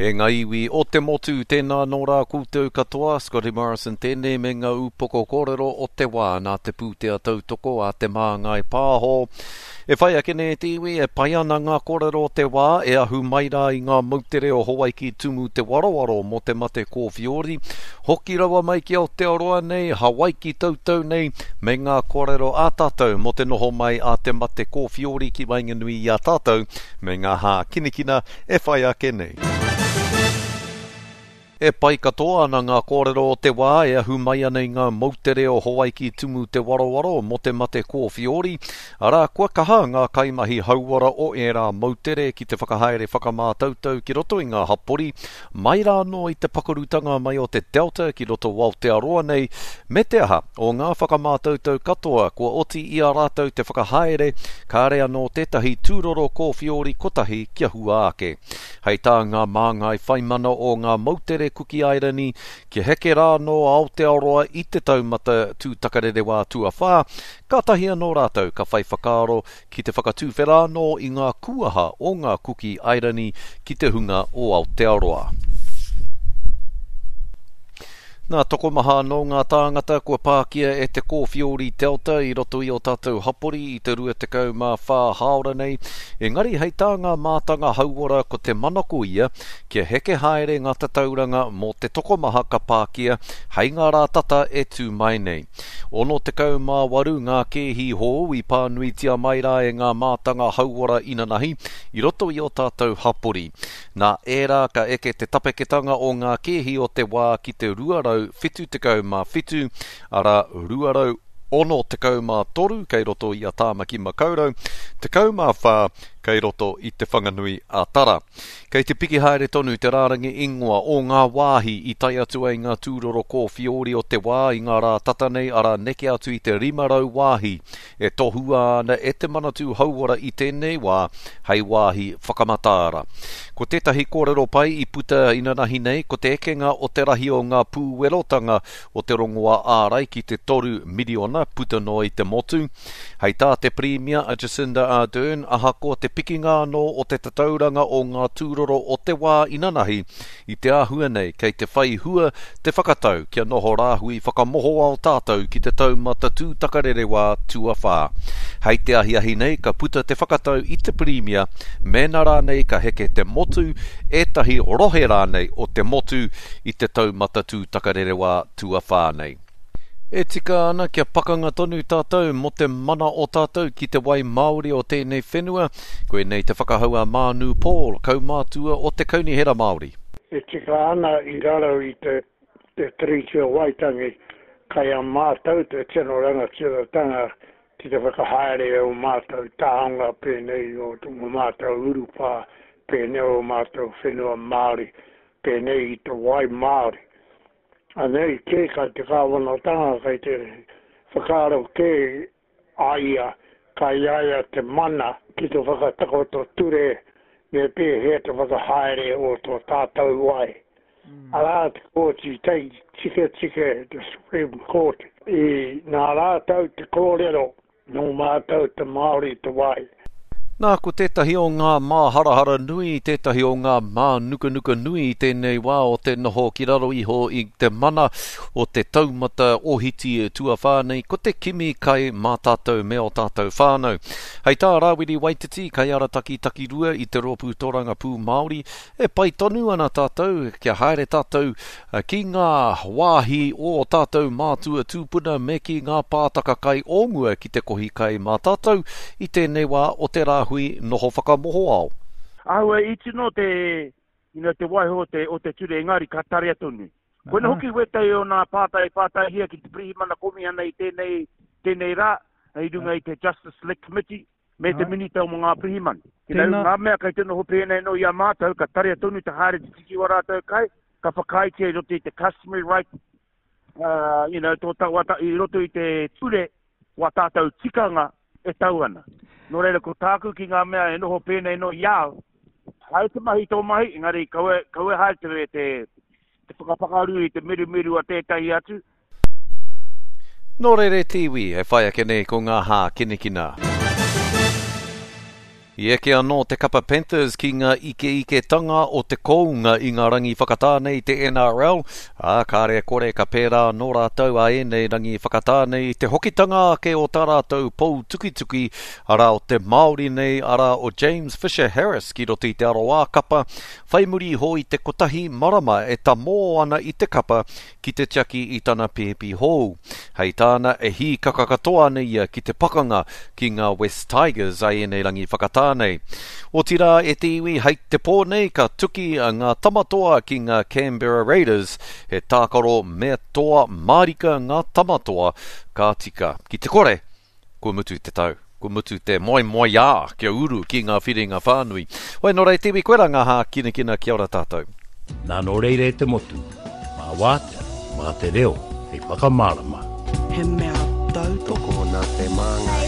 E ngā iwi o te motu, tēnā nō rā koutou katoa, Scotty Morrison tēnei me ngā upoko kōrero o te wā nā te pūtea tautoko a Te Māngai Pāho. E whai ake nei te iwi, e pai ana ngā kōrero o te wā e ahu mai rā i ngā moutere o Hawaiki tumu te warowaro mō te mate kōwhiori, hoki rawa mai ki Aotearoa nei, Hawaiki tautau nei, me ngā kōrero a tātou mō te noho mai a te mate kōwhiori ki waenganui i a tātou me ngā hākinakina e whai ake nei. E pai katoa ana ngā kōrero o te wā e ahu mai ana i ngā moutere o Hawaiki tumu te warowaro mō te mate kōwhiori, arā, kua kaha ngā kaimahi hauora o ērā moutere ki te whakahaere whakamātautau ki roto i ngā hapori, mai rā anō i te pakarutanga mai o te Delta ki roto o Aotearoa nei, me te aha, o ngā whakamātautau katoa kua oti i a rātou te whakahaere, kāre anō tētahi tūroro kōwhiori kotahi kia hua ake. Hei tā ngā māngai whaimana o ngā moutere Kuki Airani, kia heke rā anō a Aotearoa i te taumata tūtakarerewā tuawhā, kātahi anō rātou ka whai whakaaro ki te whakatuwhera anō i ngā kūaha o ngā Kuki Airani ki te hunga o Aotearoa. Nā, tokomaha anō ngā tāngata kua pākia e te kōwhiori Delta i roto i ō tātou hapori i te 24 hāora nei, engari hei tā ngā mātanga hauora ko te manako ia kia heke haere ngā tatauranga mō te tokomaha ka pākia hei ngā rā tata e tū mai nei. 68 ngā kēhi hou i pānuitia mai rā e ngā mātanga hauora inanahi i roto i ō tātou hapori. Nā ērā ka eke te tapeketanga o ngā kēhi o te wā ki te 277, arā, 263 kei roto i a Tāmaki Makaurau, 14 kei roto i Te Whanganui a Tara. Kei te piki haere tonu te rārangi ingoa o ngā wāhi i tae atu ai ngā tūroro kōwhiori o te wā i ngā rā tata nei, arā neke atu i te 500 wāhi e tohua ana e te Manatū Hauora i tēnei wā hei wāhi whakamataara. Ko tētahi kōrero pai i puta inanahi nei ko te ekenga o te rahi o ngā pūwerotanga o te rongoā ārai ki te 3 miriona puta noa i te motu. Hei tā te Pirimia a Jacinda Ardern, ahakoa te pikinga anō o te tatauranga o ngā tūroro o te wā inanahi, i te āhua nei kei te whai hua te whakatau kia noho rāhui whakamohoao tātou ki te taumata tūtakarerewā tuawhā. Hei te ahiahi nei ka puta te whakatau i te Pirimia mēnā rānei ka heke te motu, ētahi rohe rānei o te motu i te taumata tūtakarerewā tuawhā nei. E tika ana kia pakanga tonu tātou mō te mana o tātou ki te wai māori o tēnei whenua, koinei te whakahau a Mānu Paul, kaumātua o te Kaunihera Māori. E tika ana i raro i te te Tiriti o Waitangi, kai a mātou te tino rangatiratanga ki te whakahaere i ō mātou taonga pēnei i ō mātou urupā, pēnei ō mātou whenua Māori, pēnei i te wai Māori. Anei kē kai te kāwanatanga kai te whakaaro kē a ia kai a ia te mana ki te whakatakoto ture me pēhea te whakahaere o tō tātou wai. Arā te kōti tiketike, te Supreme Court, i nā rātou te kōrero Nō mātou te Māori te wai. Nā, ko tētahi o ngā māharahara nui, tētahi o ngā mānukanuka nui i tēnei wā o te noho ki raro iho i te mana o te taumata ohiti tuawhā nei, ko te kimi kai mā tātou me ō tātou whānau. Hei tā Rāwiri Waititi, kaiarataki takirua i te Rōpū Torangapū Māori, E pai tonu ana tātou kia haere tātou ki ngā wāhi o ō tātou mātua tūpuna me ki ngā pātaka kai o mua ki te kohi kai mā tātou i tēnei wā o te rāhui noho whakamohoao. Āhua iti noa te, you know, te waiho o te, o te ture, engari ka tarea tonu. Koina hoki wētahi o nā pātai i pātaihia ki te Pirihimana Komihana i tēnei, tēnei rā, i runga i te Justice Select Committee, me te Minita mō ngā Pirihimana. You know, ngā mea kei te noho pēnei anō i a mātou, ka tarea tonu te haere te tiki wā rātou kai, ka whakaaetia i roto i te customary right, uh, you know, tō ta, wā, i roto i te ture, wā tātou tikanga e tau ana. Nō reira, ko tāku ki ngā mea e noho pēnei anō i a au, haere te mahi tō mahi, engari kaua, kaua haere te, te, te whakapakaru i te mirumiru a tētahi atu. Nō reira e te iwi, e whai ake nei ko ngā hākinakina. I eke anō te kapa Panthers ki ngā ikeiketanga o te kounga i ngā rangi whakatā nei i te NRL, ā, kāre e kore ka pērā anō rātou ā ēnei rangi whakatā nei i te hokitanga ake o tā rātou pou tukituki, arā o te Māori nei, arā o James Fisher Harris ki roto i te aroā kapa, whai muri iho i te kotahi marama e tamō ana i te kapa ki te tiaki i tana pēpi hou. Hei tāna, e hīkaka katoa ana ia ki te pakanga ki ngā West Tigers a ēnei rangi whakatā nei. Otirā, e te iwi, hei te pō nei ka tuki ngā Tamatoa ki ngā Canberra Raiders, he tākaro mea toa mārika ngā Tamatoa, ka tika. Ki te kore, Kua mutu te tau. Kua mutu te moemoeā kia uru ki ngā whiringa whānui. Hoi nō reira te iwi, koirā ngā hākinakina kia ora tātou. Nā nō reira e te motu, mā wātea, mā te reo hei whakamārama. He mea tautoko. Tokona te māngai.